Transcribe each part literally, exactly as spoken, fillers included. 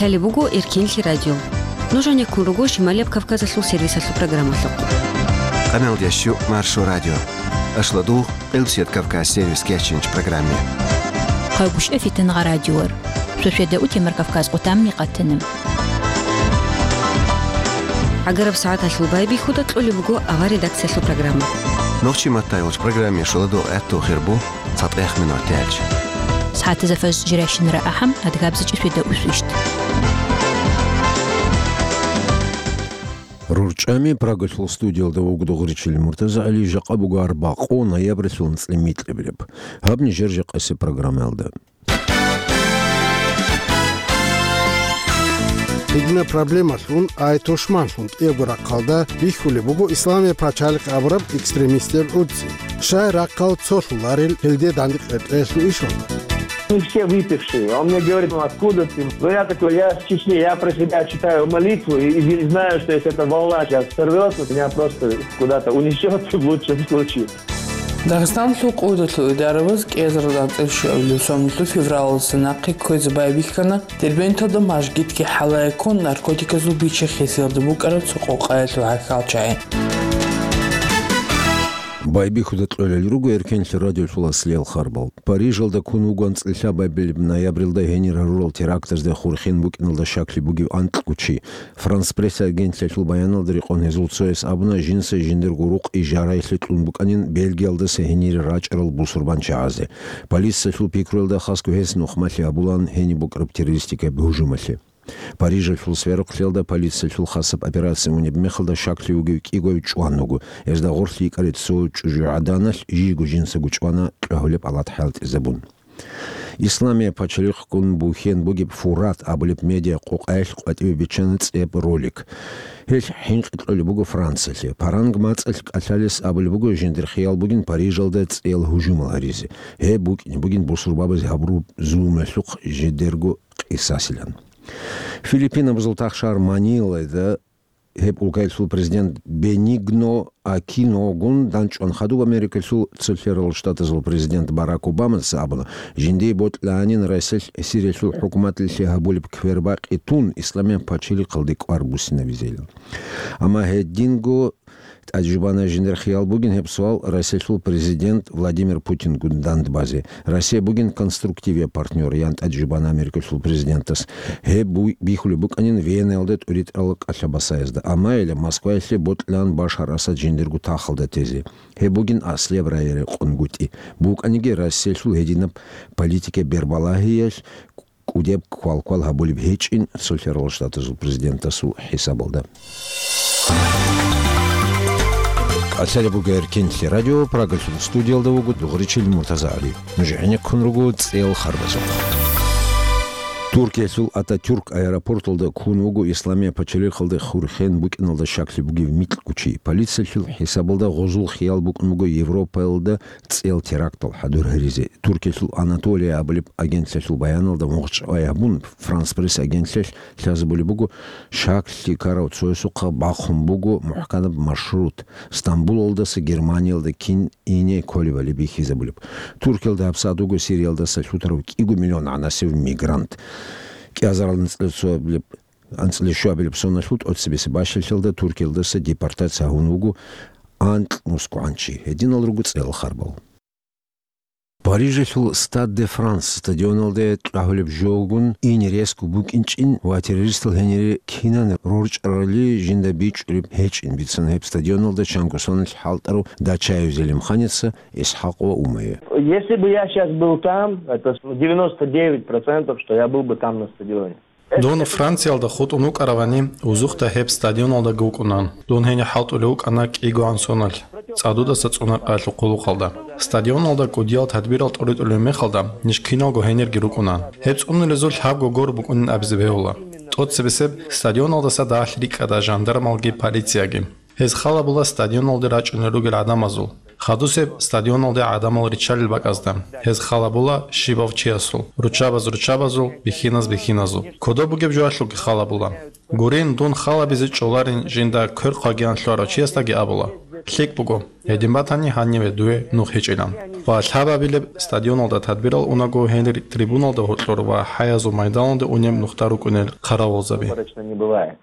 Лъалеб буго Эркенлъи радио. Нуж гьанеккун руго Шималияб Кавказалъул сервисалъул программалъухъ. Къамел дящу Маршо радио. Ашла дугъ Къилсият Кавказ сервис кечинч программе. Къайгушев Фитангъа радиор. Шошеда утемар Кавказ къутамни къатана. Агараб сагӀаталъул байбихьуда кьолеб буго авар редакциялъул программа. Нохчи маттай вач программе шоладо гӀатту хирбу. ЦатӀех минут тяч. СагӀатазда фажр жирайщинара ахӀам, адгабзичӀи шведа усвищт. РорчӀами Прагалъул студиялда вугода гъуричил Муртаза ГӀали, жакъа буго арбакъу ноябрьлъул анцӀила микьабилеб. Гьаб нижер жакъасеб программаялда. Гьедина проблемалъун, ай тушманлъун кӀиябго рахъалда бихьулеб буго Исламия пачалихъ абураб экстремистер гӀуцӀи. Щай рахъал цолъуларел гьелде дандекъ гьеб кьелъул ишун? Мы все выпившие. Он мне говорит: «Ну, откуда ты?» Ну, я такой: «Я с Чечни, я про себя читаю молитву и, и знаю, что если эта волна сейчас сорвется, меня просто куда-то унесет в лучшем случае». Дагъистаналъул къойдалъул идараваз кӀиазарал анцӀила щуабилеб соналъул февралалдаса нахъе кквезе байбихьана Дербенталда мажгитги хӀалае ккун наркотиказул бичи-хисиялда букӀараб цо къокъаялъул гӀахьалчагӀи. Байбихьуда кьолел руго Эркенлъи радиолъул аслиял харбал. Парижалда ккун вуго анцӀила лъабабилеб ноябрилда гьенир гьарурал терактазде хурхен букӀиналда щаклъи бугев анкьго чи. Франс Пресс агентлъиялъул баяналда рекъон гьезул цояс абуна, жинца жиндирго рукъ ижараялъе кьун букӀанин Бельгиялдаса гьенире рачӀарал бусурбанчагӀазе. Полициялъул пикруялда хасго гьес нухмалъи гьабулаан гьениб букӀараб террористикаб гьужумалъе. Парижалъул сверухълъиялда полициялъул хасаб операция унеб мехалда щаклъи вугев кӀиго чӀван вуго. Гьезда гъорлъ йикӀарай цо чӀужугӀаданалъ жийго жинцаго чӀвана кьвагьулеб алат хӀалтӀизабун. Исламия пачалихъ ккун бухьен бугеб Фурат абулеб медиа къокъаялъ къватӀиве биччана цӀеб ролик. Гьелъ хӀинкъи кьолеб буго Франциялъе. Паранг мацӀалъ кӀалъалес абулеб буго, жиндир хиял бугин Парижалда цӀиял гьужумал гьаризе. Гьеб букӀине бугин бусурбабазе гьабураб зулумалъухъ жидерго къисасилан. Филиппинабазул тахшар Манилада гьеб улкаялъул президент Бенигно Акиногун данчӀван хадуб Америкалъул Цолъарал Штатазул президент Барак Обамаца абуна, жиндие бокьанин Расилъ Сириялъул хӀукуматалъе гьабулеб квербакъи тун Исламияб пачалихъалде кӀвар буссинабизейилан. Амма гьединго тӀаде жубана жиндир хиял бугин гьеб суал Расилъул президент Владимир Путингун дандбазе. Россия бугин конструктивияб партнёр, ян тӀаде жубана Америкалъул президентас. Гьеб буй бихьулеб букӀанин Венаялда тӀуритӀарал кӀалъабасаязда. Амма гьеле Москваялъе бокьилаан Башар Асад жиндирго тахалда тезе. Гьеб бугин аслияб рагӀи-рекъонгутӀи. БукӀаниги Россиялъул гьединаб политика бербалагьиялъ кӀудеб квалквал гьабулеб гьечӀин Цолъарал Штатазул президентасул хӀисабалда. КӀалъалеб буго Эркенлъи радио, Прагалъул студиялда вуго дугъричил Муртаза ГӀали. Нуж гӀенеккун руго цӀел харбазухъ. Туркиялъул Ататюрк аэропорталда ккун вуго Исламия пачалихъалде хурхен букӀиналда щаклъи бугев микьго чи. Полициялъул хӀисабалда гъозул хиял букӀун буго Европаялда цӀел терактал хӀадур гьаризе. Туркиялъул Анатолия абулеб агентлъиялъул баяналда мугъчӀвай гьабун, Франс Пресс агентлъиялъ лъазабулеб буго, щаклъи ккарав цоясухъа бахъун буго мухӀканаб маршрут, Стамбулалдаса Германиялда кин ине кколебали бихьизабулеб. Туркиялда гьабсагӀат вуго Сириялдаса лъутарав кӀиго миллион гӀанасев мигрант. КӀиазарал анцӀила цоабилеб, анцӀила щуабилеб соналъул тӀоцебесеб бащалъалда Туркиялдаса депортация гьавун вуго анкь мускулгӀанчи. Гьединал руго цӀел харбал. Парижалъул Стад де Франс стадионалде тӀагьулеб жогун ине ресго букӀинчӀин ва террористал гьенире кинан рорчӀарали жинда бичӀчӀулеб гьечӀин, бицана гьеб стадионалда чанго соналъ хӀалтӀарав Дачаев Зелимханица, ИсхӀакъ ва Умае. Если бы я сейчас был там, это девяносто девять процентов, что я был бы там на стадионе. Дун Франциялда хутӀун вукӀаравани, узухъда гьеб стадионалдаги вукӀунан. Дун гьенив хӀалтӀулев вукӀана кӀигоан соналъ, цӀадудаса цӀунакъаялъул хъулухъалда. Стадионалда кӀудиял тадбирал тӀуритӀулев мехалда, ниж киналго гьенирги рукӀунан. Гьеб цӀунулезул лъабго гор букӀунин абизе бегьула. ТӀоцебесеб стадионалдаса дагьалъ рикӀкӀада жандармалги полицияги. Гьез халабула стадионалде рачӀунел ругел гӀадамазул. Хадусеб стадионалде гӀадамал риччалел бакӀазда. Гьез халабула щибав чиясул, руччабаз руччабазул, бихьиназ бихьиназул. Кодоб бугеб жоялъулги халабула. Гурин, дун халабизе чӀоларин жинда квер хъвагиян лъугьарав чиясдаги абула. ЛъикӀ буго, гьедин батани гьаниве дуе нух гьечӀилан. Ва лъабабилеб стадионалда тадбирал унаго гьенир трибуналда гьоркьор ва хӀаязул майданалда унеб нухда рукӀунел хъаравулзаби. Выборочно не бывает.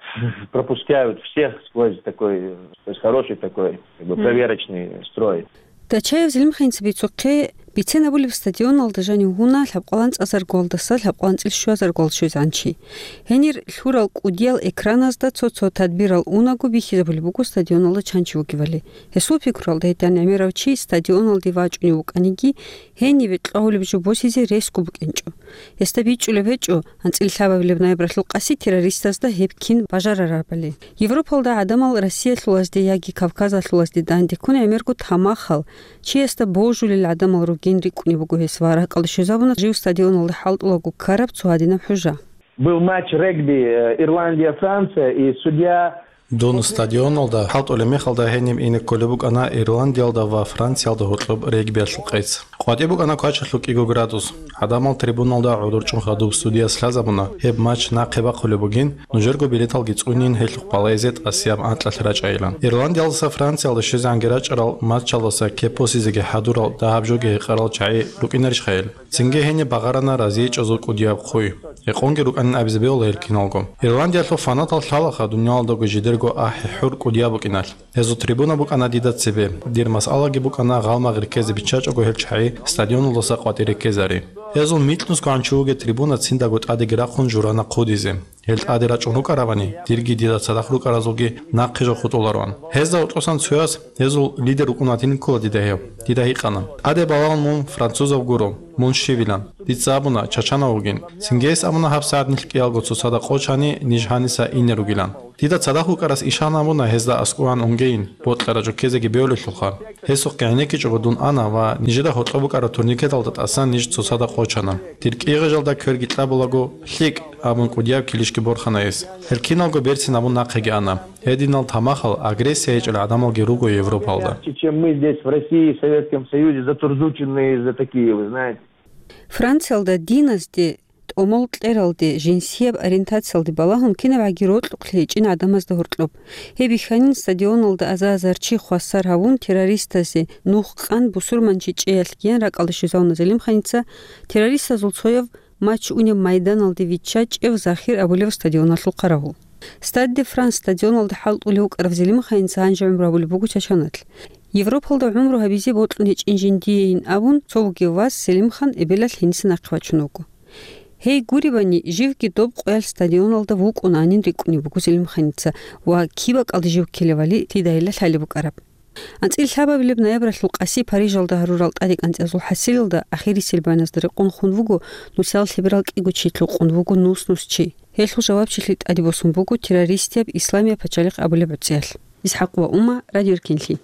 Пропускают всех сквозь такой, то есть хороший такой, как бы, проверочный строй. Дачаев Зелимханца бицухъе, бицен абулеб стадионалда жанив гьуна лъабкъалан цӀазаргуалдаса лъабкъалан цӀил щуазаргуал щвезегӀан чи. Гьенир лъурал кӀудиял экраназда цо-цо тадбирал унаго бихьизабулеб буго стадионалда чан чи вугевали. Гьесул пикруялда гьедин гӀемерав чи стадионалде вачӀунев вукӀаниги, гьениве кьвагьулеб жо босизе ресго букӀинчӀо. Гьесда бичӀчӀулеб гьечӀо, анцӀила лъабабилеб ноябралъул къаси террористазда гьеб кин бажарарабали. Европалда гӀадамал Россиялъулазде яги Кавказалъулазде дандеккун гӀемерго тамахал, чиясда божулел гӀадамал ругин рикӀкӀунеб буго гьес ва ракӀалде щвезабуна жив стадионалда хӀалтӀулаго ккараб цо гьадинаб хӀужа. Был матч регби, э, Ирландия-Франция, и судья... Дун стадионалда хӀалтӀулеб мехалда гьениб ине кколеб букӀана Ирландиялда ва Франциялда гьоркьоб регбиялъул къец. КъватӀиб букӀана квачалъул кӀиго градус. ГӀадамал трибуналда гӀодор чӀун хадуб судияс лъазабуна, гьеб матч нахъе бахъулеб бугин, нужерго билеталги цӀунин гьелъухъ балагьизе тӀасияб анкьалъ рачӀайилан. Ирландиялдаса Франциялда щвезегӀанги рачӀарал матчалдаса кеп босизеги хӀадурал дагьаб жоги гьекъарал чагӀи рукӀинарищха гьел? Цинги гьениб багъарана разиечӀезул кӀудияб хъуй. Гьекъонги рукӀанин абизе бегьула гьел киналго. Ирландиялъул фанатал лъалаха дуниялалдаго жидерго ахӀи-хӀур кӀудияб букӀиналъ. Гьезул трибуна букӀана дида цебе. Дир масъалаги букӀана гъалмагъ реккезе биччачӀого гьел чагӀи стадионалдаса къватӀир реккезари. Гьезул микьнусгоан чи вугев трибуна циндаго тӀадеги рахъун журана хъудизе. Гьел тӀаде рачӀун рукӀаравани, дирги дида цадахъ рукӀаразулги нахъе жо хутӀулароан. Гьезда гьоркьосан цояс, гьезул лидер вукӀун ватинин ккола дида гьев, дида гьикъана: «ТӀаде балагьун мун французав гуро, мун щивилан». Дица абуна, чачанав вугин. Цинги гьес абуна, гьабсагӀат нилъ кӀиялго цоцазда къочани, ниж гьаниса ине ругилан. Дида цадахъ вукӀарас ишан абуна гьезда аскӀован унгейин, бокьараб жо ккезеги бегьулелъулха. Гьесухъе гӀенеккичӀого дун ана ва нижеда гьоркьоб букӀараб турникеталда тӀасан ниж цоцазда къочана. Дир кӀигъажалда кверги кьабулаго, «ЛъикӀ», абун кӀудияб килищги борхана гьес. Гьел киналго берцин абун нахъеги ана. Гьединал тамахал, агрессия гьечӀел гӀадамалги руго Европалда. Чем мы здесь, в России, в Советском Союзе, затурзученные за такие, вы знаете. Франциялда диназде, тӀомол кьералде, жинсияб ориентациялде балагьун кинабгӀаги рокьукълъи гьечӀин гӀадамазда гьоркьоб. Гьеб бихьанин стадионалда аза-азар чи хвасар гьавун, террористазе нух къан бусурманчи чӀеялъ гьен ракӀалде щвезавуна Зелимханица, террористазул цояв матч унеб майданалде виччачӀев Захир абулев стадионалъул хъаравул. Стад де Франс стадионалда хӀалтӀулев вукӀарав Зелимханица гьанже гӀумру гьабулеб буго Чачаналъ. Европалда гӀумру гьабизе бокьун гьечӀин жиндиейин абун, цо вугев вас Селимхан эбелалъ гьениса нахъе вачун вуго. Гьей гуребани, живги доб къоялъ стадионалда вукӀунанин рикӀкӀунеб буго Селимханица ва киб бакӀалде жив ккелевали дида гьелда лъалеб букӀараб. АнцӀила лъабабилеб ноябралъул къаси Парижалда гьарурал тӀаде кӀанцӀиязул хӀасилалда ахирисел баяназда рекъон хун вуго нусал лъеберал кӀиго чи, лъукъун вуго нус-нус чи. Гьелъул жавабчилъи тӀаде босун буго террористияб Исламияб пачалихъ абулеб гӀуцӀиялъ. ИсхӀакъ ва Ума, Радио Эркенлъи.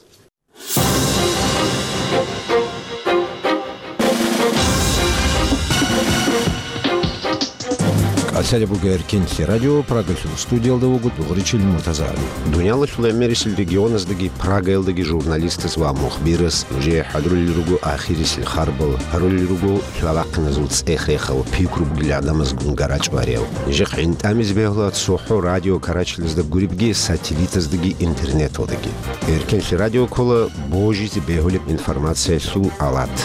КӀалъалеб буго Эркенлъи радио, Прагалъул студиялда вуго дугӀричил Муртазагьли. Дуниялалъул гӀемерисел регионаздаги Прагаялдаги журналистас ва мухбирас нужее хӀадурулел руго ахирисел харбал, гьарулел руго лъалахъиназул цӀех-рехал, пикру бугел гӀадамазгун гарачӀ вариял. Нижехъ гӀинтӀамизе бегьула цохӀо радио карачилазда гуребги, сателлитаздаги интернеталдаги. Эркенлъи радио ккола божизе бегьулеб информациялъул алат.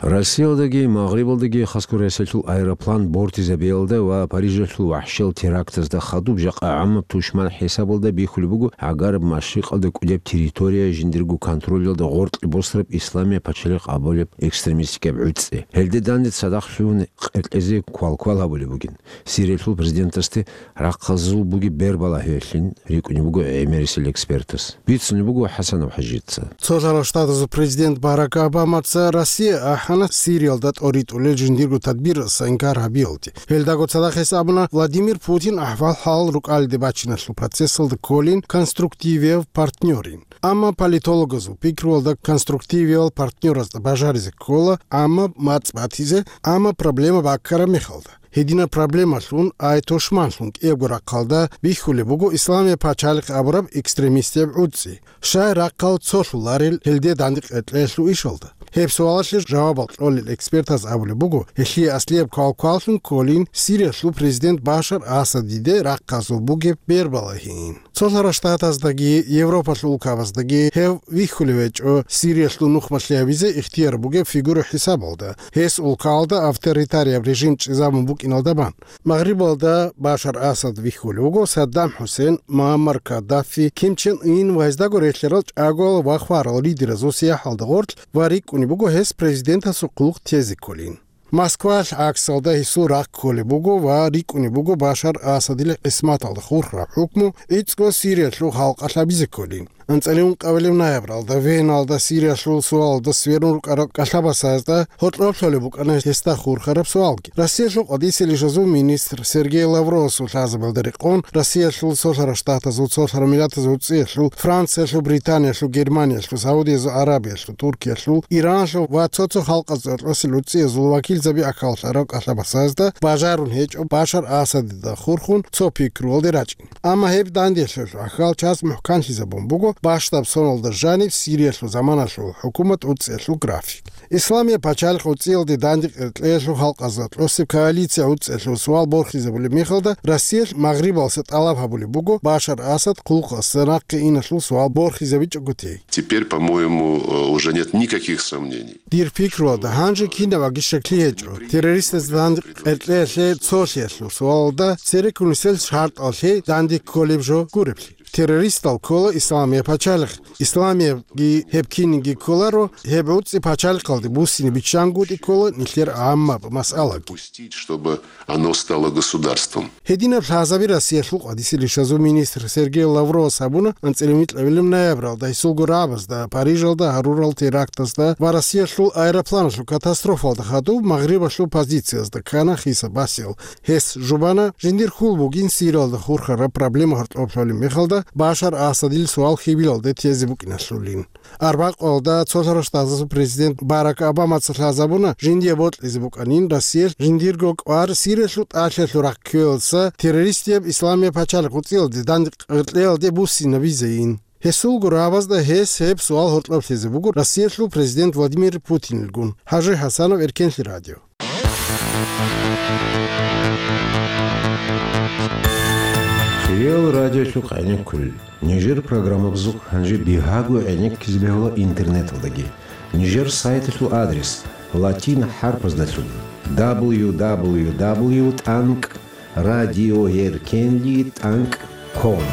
Россиялдаги Магърибалдаги хасго ресалъул аэроплан бортизабиялда ва Парижалъул вахӀшиял терактазда хадуб жакъа гӀамаб тушман хӀисабалда бихьулеб буго гӀагараб машрикъалда кӀудеб территория жиндирго контролялда гъоркье босараб Исламияб пачалихъ абулеб экстремистикаб гӀуцӀи. Гьелде данде цадахъ лъугьун къеркьезе квалквал гьабулеб бугин. Сириялъул президентасде рахъазул бугеб бербалагьиялъин рикӀкӀунеб буго гӀемерисел экспертас. Бицунеб буго ХӀасанов ХӀажица. Цолъарал Штатазул президент Барак Обамаца Россия ахӀана Сириялда тӀоритӀулел жиндирго тадбирасда инкар гьабиялде. Гьелдаго цадахъ гьес абуна, Владимир Путин ахӀвал-хӀал рукӀалиде бачиналъул процессалда кколин конструктивияв партнёрин. Амма политологазул пикруялда конструктивиял партнёразда бажаризе ккола, амма мацӀ батизе, амма проблема баккараб мехалда. Гьединаб проблемалъун, ай тушманлъун кӀиябго рахъалда бихьулеб буго Исламияб пачалихъ абураб экстремистияб гӀуцӀи. Щай рахъал цолъуларел гьелде данде къеркьеялъул ишалда? Гьеб суалалъе жавабал кьолел экспертаз абулеб буго, гьелъие аслияб квалкваллъун кколин Сириялъул президент Башар Асадиде рахъазул бугеб бербалагьиин. Цолъарал Штатаздаги Европалъул улкабаздаги гьев вихьулев гьечӀо Сириялъул нухмалъи гьабизе ихтияр бугеб фигура хӀисабалда. Гьес улкаялда авторитарияб режим чӀезабун букӀиналда бан. Магърибалда Башар Асад вихьулев вуго, Саддам ХӀусен, Муаммар Каддафи, Ким Чен Ын ва гьездаго релълъарал чӀагоял ва хварал лидеразул сияхӀалда гъорлъ ва рикӀкӀунеб буго гьес президентасул хъулухъ тезе кколин. Москвалъ гӀаксалда гьесул рахъ кколеб буго ва рикӀкӀунеб буго Башар Асадил гӀисматалда хурхараб хӀукму гӀицӀго Сириялъул халкъалъ гьабизе кколин. АнцӀила ункъабилеб ноябралда Веналда Сириялъул суалалда сверун рукӀарал кӀалъабасазда гьоркьоб лъолеб букӀана гьесда хурхараб суалги. Россиялъул къватӀисел ишазул министр Сергей Лавровасул лъазабиялда рекъон, Россиялъул, Цолъарал Штатазул, Цолъарал Миллатазул ГӀуцӀиялъул, Франциялъул, Британиялъул, Германиялъул, Саудиязул Аравиялъул, Туркиялъул, Ираналъул ва цо-цо халкъазул гӀоркьосел гӀуцӀиязул вакилзаби ахӀуларал кӀалъабасазда бажарун гьечӀо Башар Асадида хурхун цо пикруялде рачӀин. Амма гьеб дандеялъулъ ахӀал чаз мухӀканлъизабун буго бащдаб соналда жаниб Сириялъул заманалъул хӀукумат гӀуцӀиялъул график. Исламияб пачалихъ гӀуцӀиялде данде къеркьеялъул халкъазда кьосеб коалиция гӀуцӀиялъул суал борхизабулеб мехалда, Россиялъ Магърибалъа тӀалаб гьабулеб буго Башар Асад хъулухъалъ нахъе иналъул суал борхизабичӀого тей. Теперь, по-моему, э, уже нет никаких сомнений. Дир пикруялда, гьанже кинаб аги щаклъи гьечӀо террористазда данде къеркьеялъе цолъиялъул суалалда цереккун нилъер шартӀал лъей данде кколеб жо гуреблъи. Террористал ккола Исламияб пачалихъ. Исламиябги гьеб кинниги кколаро, гьеб гӀуцӀи пачалихъалде буссине биччангутӀи ккола нилъер гӀаммаб масъалаги. Допустить, чтобы оно стало государством. Гьединаб лъазаби Россиялъул къватӀисел ишазул министр Сергей Лавровас гьабуна анцӀила микьабилеб ноябралда гьесулго рагӀабазда Парижалда гьарурал терактазда ва Россиялъул аэропланалъул катастрофалда хадуб Магърибалъул позициязда ккана хисаб-басиял. Гьес жубана, жиндир хьул бугин Сириялда хурхараб проблема гьоркьоб лъолеб мехалда Башар Асадил суал хьибилалде тезе букӀиналъулин. Арбакъалда Цолъарал Штатазул президент Барак Обамаца лъазабуна, жиндие бокьизе букӀанин Россиялъ жиндирго кӀвар Сириялъул тӀалъиялъул рахъ кквеялдаса террористияб Исламияб пачалихъ гӀуцӀиялде данде къеркьеялде буссинабизейин. Гьесулго рагӀабазда гьес гьеб суал гьоркьоб лъезе буго Россиялъул президент Владимир Путинилгун. ХӀажи ХӀасанов, Эркенлъи радио. Хириял радиолъул къайгъи кколел. Нижер программабазухъ гьанже бигьаго гӀенеккизе бегьула интернеталдаги. Нижер сайталъул адрес латин хӀарпаздалъун: дабл ю дабл ю дабл ю тӀанкӀ радиоэркенлъи тӀанкӀ ком.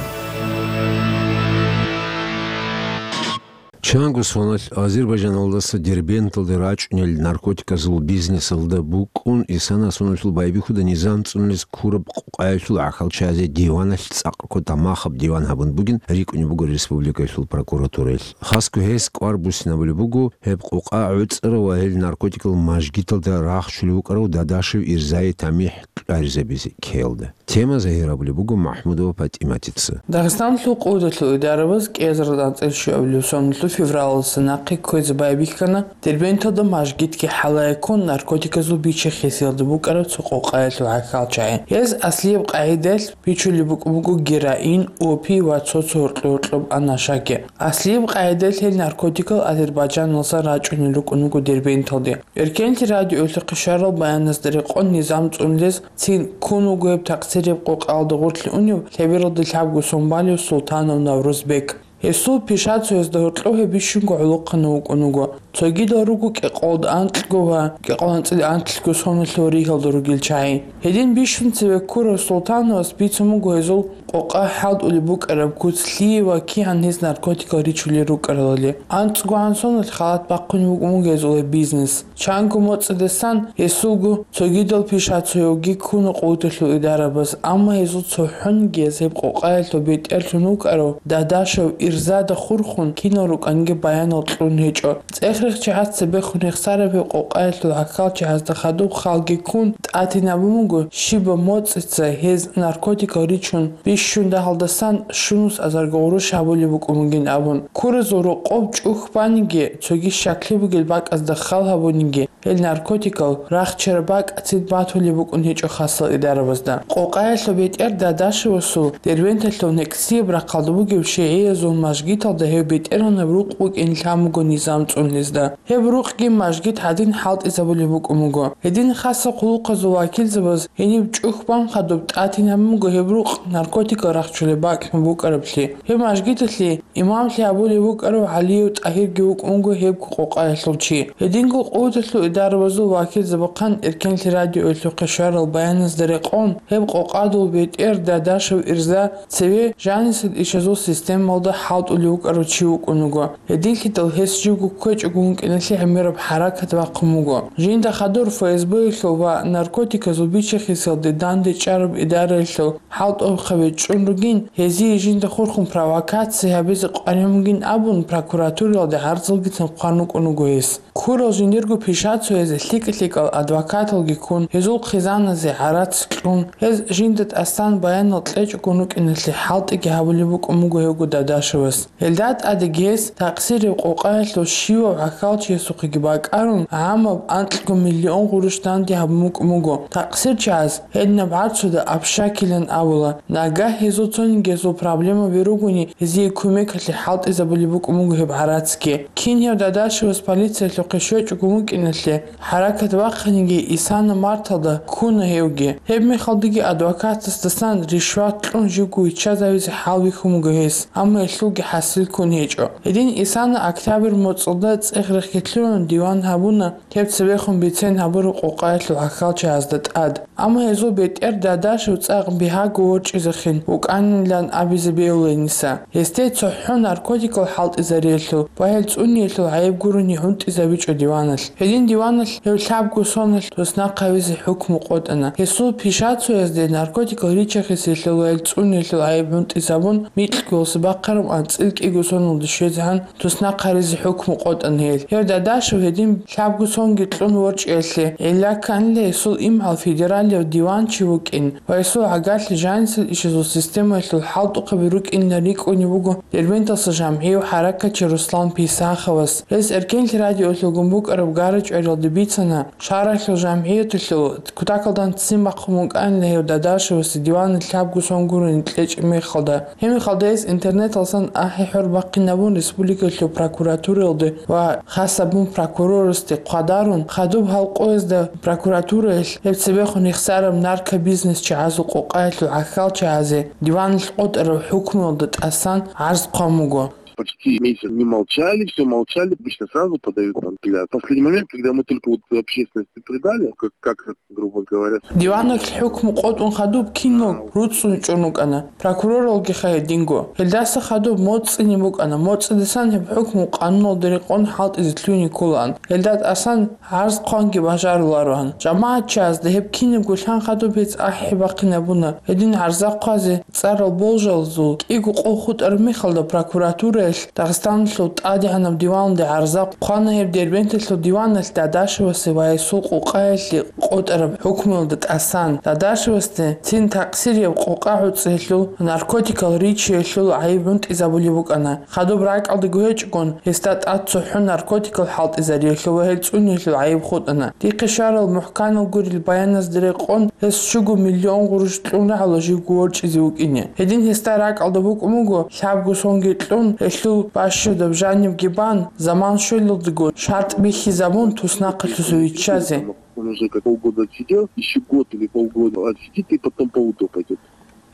Чанго соналъ Азербайджаналдаса Дербенталде рачӀунел наркотиказул бизнесалда букӀун исана соналъул байбихьуда низам цӀунулез ккураб къокъаялъул гӀахьалчазе диваналъ цӀакъ ккола махаб диван гьабун бугин рикӀкӀунеб буго республикаялъул прокуратураялъ. Хасго гьес кӀвар буссинабулеб буго гьеб къокъа гӀуцӀарав ва гьел наркотикал мажгиталда рахчулев вукӀарав Дадашев Ирзае тамихӀ кьаризабизе ккеялда. Тема загьир абулеб буго МахӀмудова ПатӀиматица. Дагъистаналъул къудалъул идарабаз кӀиазарда анцӀила щуабилеб соналъул февралалдаса нахъе кквезе байбихьана Дербенталда мажгитги хӀалае ккун наркотиказул бичи-хисиялда букӀараб цо къокъаялъул гӀахьалчагӀи. Гьез аслияб къагӀидаялъ бичулеб букӀун буго героин, опий ва цо-цо гьоркьо-гьоркьоб анашаги. Аслияб къагӀидаялъ гьел наркотикал Азербайджаналдаса рачӀунел рукӀун руго Дербенталде. Эркенлъи радиоялъухъе щварал баяназда рекъон низам цӀунулез цин ккун вуго гьеб такъсирияб къокъаялда гъорлъе унев лъебералда лъабго сон балев Султанов Наврузбек. Гьесул пишацоязда гьоркьов гьеб бищунго гӀолохъанав вукӀун вуго. Цогидал руго кӀикъоялда анкьго ва кӀикъоялда анцӀила анлъго соналъул ригьалда ругел чагӀи. Гьедин бищун цеве ккурав Султановас бицун буго гьезул къокъа хӀалтӀулеб букӀараб куц лъие ва кигӀан гьез наркотикал ричулел рукӀаралали. АнцӀгогӀан соналъ халат бахъун вукӀун буго гьезул гьеб бизнес. Чанго моцӀидасан гьесулго цогидал пишацоявги ккуна къудалъул идарабаз, амма гьезул цохӀониги гьез гьеб къокъаялъул бетӀерлъун вукӀарав Дадашев Ирзада хурхун кинал рукӀанги баянал кьун гьечӀо. ЦӀех-рех чагӀаз цебехун рехсараб гьеб къокъаялъул гӀахьалчагӀазда хадуб халги ккун тӀатинабун буго, щибаб моцӀица гьез наркотикал ричун бищун дагьалдасан щунус азарго гъурущ гьабулеб букӀун бугин абун. Ккуразул рокъоб чӀухь баниги, цоги щаклъи бугел бакӀазда хал гьабуниги, гьел наркотикал рахчараб бакӀ цин батулеб букӀун гьечӀо хасал идарабазда. Къокъаялъул бетӀер Дадашевасул Дербенталъул некӀсияб рахъалда бугеб шигӀиязул мажгиталда гьев бетӀергьанаб рукъ букӀин лъан буго низам цӀунулезда. Гьеб рукъги мажгит гьадин хӀалтӀизабулеб букӀун буго. Гьедин хасал хъулухъазул вакилзабаз гьениб чӀухь бан хадуб тӀатинабун буго гьеб рукъ наркотик рахчулеб бакӀ букӀараблъи. Гьеб мажгиталъе имамлъи гьабулев вукӀарав ГӀалиев ТӀагьирги вукӀун вуго гьеб къокъаялъул чи. Гьединго къуваталъул идарабазул вакилзабахъан Эркенлъи радиоялъухъе щварал баяназда рекъон, гьеб къокъадул бетӀер Дадашев Ирза цеве жанисел ишазул системалда хӀалтӀулев вукӀарав чи вукӀун вуго. Гьединлъидал гьес живго кквечӀого вукӀиналъе гӀемераб хӀаракат бахъун буго. Жинда хадур ФСБ-ялъул ва наркотиказул бичи-хисиялде дандечӀараб идараялъул хӀалтӀухъаби чӀун ругин, гьезие жинда хурхун провокация гьабизе къваригӀун бугин абун, прокуратуралде гӀарзалгицин хъван вукӀун вуго гьес. Ккурал жиндирго пишацоязе лъикӀа-лъикӀал адвокаталги ккун, гьезул хъизаназе гӀарац кьун, гьез жинда тӀасан баянал кьечӀого вукӀиналъе хӀалтӀиги гьабулеб букӀун буго гьевго Дадашевас. Гьелда тӀадеги гьес такъсиреб къокъаялъул щивав гӀахьалчиясухъеги бакӀарун, гӀамаб анкьго миллион гъурущ данде гьабун букӀун буго. Такъсирчияс гьединаб гӀарцуда общакилан абула. Нагагь гьезул цониги гьезул проблемаби ругони, гьезие кумекалъе хӀалтӀизабулеб букӀун буго гьеб гӀарацги. Кин гьев Дадашевас полициялъухъе щвечӀого вукӀиналъе, хӀаракат бахъаниги, Исана марталда ккуна гьевги. Гьеб мехалдаги адвокатасдасан ришват кьун живго виччазавизе хӀал бихьун буго гьес, амма гьелъулги хӀасил ккун гьечӀо. Гьедин Исана октябрь моцӀалда цӀех рехье лъугӀун диван гьабуна гьеб цебехун бицен гьабураб къокъаялъул гӀахьалчагӀазда тӀад. Амма гьезул бетӀер Дадашев цӀакъ бигьаго ворчӀизехин вукӀанилан абизе бегьуланиса. Гьесде цохӀо наркотикал хӀалтӀизариялъул ва гьел цӀуниялъул гӀайиб гурони гӀунтӀизабичӀо диваналъ. Гьедин диваналъ гьев лъабго соналъ туснахъ гьавизе хӀукму къотӀана. Гьесул пишацоязде наркотикал ричи-хисиялъул ва гьел цӀуниялъул гӀайиб гӀунтӀизабун, микьго гьелса бахъараб анцӀила кӀиго соналде щвезегӀан туснахъ гьаризе хӀукму къотӀана гьел. Гьев Дадашев гьедин лъабго сонги кьун ворчӀиялъе гӀилла кканила гьесул имгӀал федералияб диван чи вукӀин ва гьесул гӀагарлъи жанисел ишазул системаялъул хӀалтӀухъаби рукӀинилан рикӀкӀунеб буго Дербенталъа жамгӀияв хӀаракатчи Руслан Писаховас. Гьес Эркенлъи радиоялъулгун букӀараб гара-чӀвариялде бицана, шагьаралъул жамгӀияталъул кутакалда ццин бахъун букӀанила гьев Дадашевасде диваналъ лъабго сон гурони кьечӀеб мехалда. Гьеб мехалда гьес интернеталдасан ахӀи-хӀор бахъинабун республикалъул прокуратуралде ва хас абун прокурорасде хъвадарун, хадуб гьал къоязда прокуратураялъ гьеб цебехун рехсараб наркобизнесчагӀазул къокъаялъул гӀахьалчагӀазе диваналъ къотӀараб хӀукмуялда тӀасан гӀарз хъван буго. Почти месяц не молчали, все молчали, обычно сразу подают там для. В последний момент, когда мы только вот общественности предали, как, как, грубо говоря. Диваналъ хӀукму къотӀун хадуб кино руцӀцӀун чӀун рукӀана, прокуроралгиха гьединго. Гьелдаса хадуб моцӀцӀине букӀана, моцӀидасан гьеб хӀукму къануналда рекъон хӀалтӀизе лъугьине кколаан. Гьелда тӀасан гӀарз хъванги бажарулароан. ЖамагӀатчагӀазда гьеб кинабго лъан хадуб гьез ахӀи бахъинабуна. Гьедин гӀарза хъвазе цӀарал болжалазул кӀиго къо хутӀараб мехалда прокуратураялъ Дагъистаналъул ТӀадегӀанаб диваналде гӀарза хъвана гьеб Дербенталъул диваналъ Дадашевасе ва гьесул къокъаялъе къотӀараб хӀукмуялда тӀасан. Дадашевасде цин такъсирияб къокъа гӀуцӀиялъул, наркотикал ричиялъул гӀайиб гӀунтӀизабулеб букӀана. Хадуб ракӀалдаго гьечӀогун, гьесда тӀад цохӀо наркотикал хӀалтӀизариялъул ва гьел цӀуниялъул гӀайиб хутӀана. Дихъе щварал мухӀканал гурел баяназда рекъон, гьес щуго миллион гъурущ кьун рагӀула живго ворчӀизе вукӀине. Гьедин гьесда ракӀалда букӀун буго, лъабго сонги кьун, гьелъул бащадаб жанибги бан, заман щвелалдаго шартӀ бихьизабун, туснахъалъуса виччазе. Он уже как полгода отсидел, еще год или полгода отсидит и потом по УДО пойдет.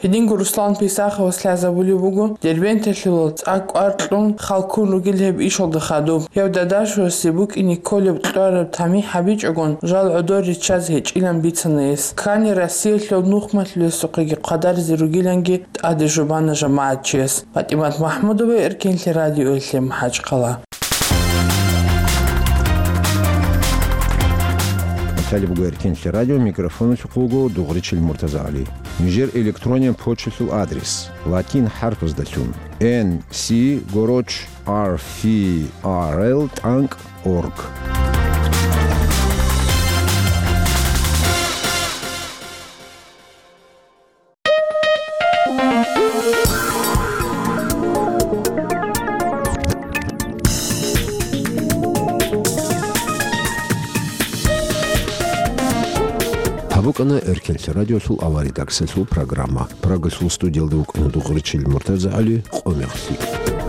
Гьединго Руслан Писаховас лъазабулеб буго, Дербенталъула цӀакъ кӀвар кьун, хал ккун ругел гьеб ишалда хадуб. Гьев Дадашевасе букӀине кколеб кьвараб тамихӀ гьабичӀогун, жал гӀодор риччазе гьечӀилан бицана гьес. Ккани Россиялъул нухмалъулесухъеги хъвадаризе ругиланги тӀаде жубана жамагӀатчияс. ПатӀимат МахӀмудова, Эркенлъи радиоялъе, МахӀачхъала. КӀалъалеб буго Эркенлъи радио, микрофоналъухъ вуго Дугъричил МуртазагӀали. Нижер электрониян почталъул адрес: латин хӀарпаздалъун, N C Гороч R F R L тӀанкӀ орг. Гьаб букӀана Эркенлъи радиолъул авария-редакциялъул программа. Прагалъул студиялда вукӀана Дугъричил МуртазагӀали. Къо мехалъ.